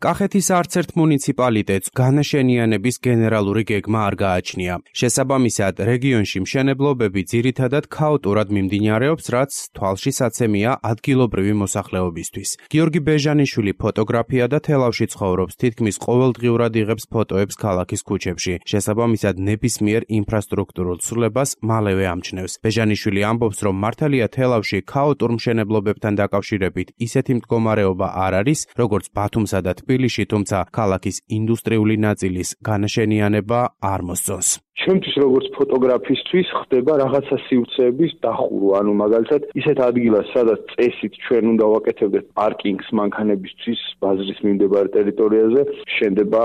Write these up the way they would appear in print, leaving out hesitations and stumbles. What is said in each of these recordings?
კახეთის არც ერთ მუნიციპალიტეტს განაშენიანების გენერალური გეგმა არ გააჩნია. შესაბამისად, რეგიონში მშენებლობები ძირითადად ქაოტურად მიმდინარეობს, რაც თვალშისაცემია ადგილობრივი მოსახლეობისთვის. გიორგი ბეჟანიშვილი ფოტოგრაფია და თელავში ცხოვრობს, თითქმის ყოველდღიურად იღებს ფოტოებს ქალაქის ქუჩებში. შესაბამისად, ნებისმიერ ინფრასტრუქტურულ ცვლილებას მალევე ამჩნევს. ბეჟანიშვილი ამბობს, რომ მართალია თელავში ქაოტურ მშენებლობებთან დაკავშირებით ისეთი მდგომარეობა არ არის, როგორც ბათუმსა და თბილისში, თუმცა ქალაქის ინდუსტრიული ნაწილის განაშენიანება არ მოსწონს. Ჩემთვის როგორც ფოტოგრაფისტვის ხდება რაღაცა სივრცეების დახურვა, ანუ მაგალითად ისეთ ადგილას, სადაც წესით ჩვენ უნდა ვაკეთებდეთ პარკინგს მანქანებისთვის ბაზრის მიმდებარე ტერიტორიაზე, შენდება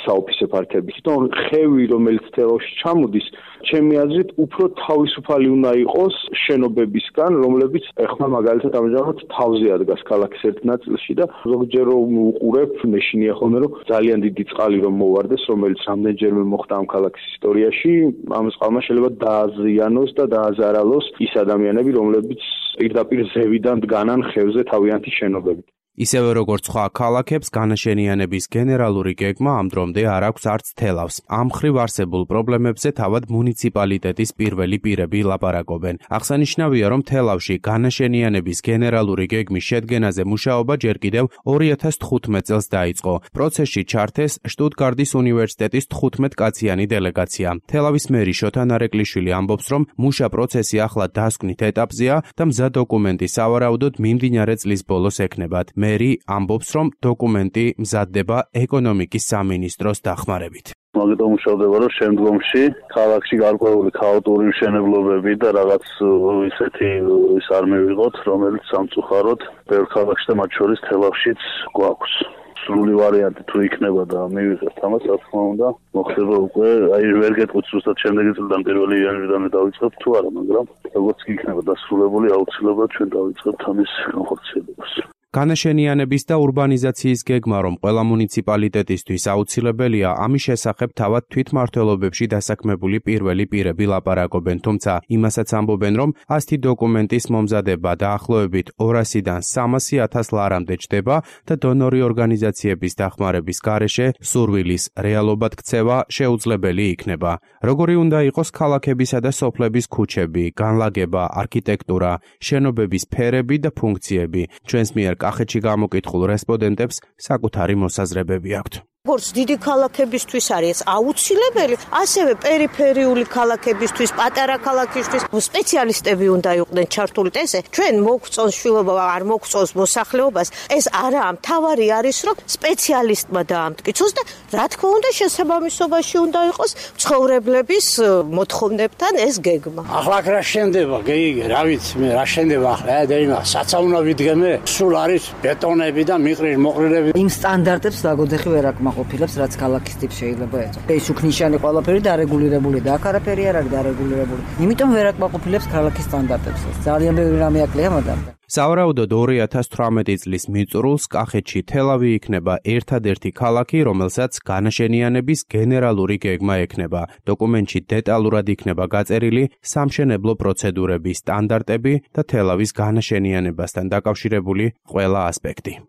საოფისე პარკები. თვითონ ხევი, რომელიც თელავში ჩამოდის, ჩემი აზრით, უფრო თავისუფალი უნდა იყოს შენობებისგან, რომლებიც ეხლა მაგალითად ამჟამად თავზე ადგას ქალაქის ერთ ნაწილში და ზოგჯერ რომ უყურებ, მეშინია ხოლმე რომ ძალიან დიდი წყალი რომ მოვარდეს, რომელიც რამდენჯერმე მოხდა ამ ქალაქის ისტორიაში, ამ წყალმა შეიძლება დააზიანოს და დააზარალოს ის ადამიანები, რომლებიც პირდაპირ ზევიდან დგანან ხევზე თავიანთი შენობებით. ისევე როგორც სხვა ქალაქებს, განაშენიანების გენერალური გეგმა ამ დრომდე არ აქვს არც თელავს. ამ მხრივ არსებულ პრობლემებზე თავად მუნიციპალიტეტის პირველი პირები ლაპარაკობენ. აღსანიშნავია, რომ თელავში განაშენიანების გენერალური გეგმის შედგენაზე მუშაობა ჯერ კიდევ 2015 წელს დაიწყო. პროცესში ჩართეს შტუტგარტის უნივერსიტეტის 15-კაციანი დელეგაცია. თელავის მერი შოთა ნარეკვლიშვილი ამბობს, რომ მუშა პროცესი ახლა დასკვნით ეტაპზეა და მზა დოკუმენტი სავარაუდოდ მიმდინარე წლის ბოლოს ექნებათ. მერი ამბობს, რომ დოკუმენტი მზადდება ეკონომიკის სამინისტროს დახმარებით. მაგიტომ მუშავდება, რომ შემდგომში ქალაქში გარკვეული ქაოტური მშენებლობები და რაღაც ისეთი ის არ მივიღოთ, რომელიც სამწუხაროდ ბევრ ქალაქში და მათ შორის თელავშიც გვაქვს. სრული ვარიანტი თუ იქნება და მივიღებთ ამას, რა თქმა უნდა, მოხდება უკვე, ვერ გეტყვით ზუსტად შემდეგი წლიდან 1 იანვრიდან დავიწყებთ თუ არა, მაგრამ როგორც კი იქნება დასრულებული, აუცილებლად ჩვენ დავიწყებთ ამის განხორციელებას. განაშენიანების და ურბანიზაციის გეგმა, რომ ყველა მუნიციპალიტეტისთვის აუცილებელია, ამის შესახებ თავად თვითმმართველობებში დასაქმებული პირველი პირები ლაპარაკობენ, თუმცა იმასაც ამბობენ, რომ ასეთი დოკუმენტის მომზადება დაახლოებით 200-დან 300,000 ლარამდე ჩდება და დონორი ორგანიზაციების დახმარების გარეშე სურვილის რეალობად ქცევა შეუძლებელი იქნება. როგორი უნდა იყოს ქალაქებისა და სოფლების ქუჩები, განლაგება, არქიტექტურა, შენობების ფერები და ფუნქციები, ჩვენს მიერ კახეთში გამოკითხულ რესპონდენტებს საკუთარი მოსაზრებები აქვთ. როგორც დიდი ქალაქებისთვის არის აუცილებელი, ასევე პერიფერიული ქალაქებისთვის, პატარა ქალაქისთვის სპეციალისტები უნდა იყვნენ ჩართული. ესე ჩვენ მოგწონს შვილობა, არ მოგწონს მოსახლეობას, ეს არა, მთავარი არის, რომ სპეციალისტმა დაამტკიცოს და რა თქმა უნდა შესაბამისობაში უნდა იყოს ცხოვრებლების მოთხოვნებთან ეს გეგმა. ახლა რა შენდება, გეიგე, რა ვიცი მე, რა შენდება ახლა, დეიმა, საცაუნა ვიდგემე, სულ არის ბეტონები და მოყრილები. იმ სტანდარტებს ლაგოდეხი ვერ აკმაყოფილებს, რაც ქალაქის ტიპს შეიძლება ეწოს. ეს უქნიშანი ყველაფერი დარეგულირებული და აქ არაფერი არ არის დარეგულირებული. იმიტომ ვერ აკმაყოფილებს ქალაქის სტანდარტებს. ძალიან ბევრი რამე აკლია მაგალითად. სავარაუდოდ 2018 წლის მიწურულს კახეთში თელავი იქნება ერთადერთი ქალაქი, რომელსაც განაშენიანების გენერალური გეგმა ექნება. დოკუმენტში დეტალურად იქნება გაწერილი სამშენებლო პროცედურების სტანდარტები და თელავის განაშენიანებასთან დაკავშირებული ყველა ასპექტი.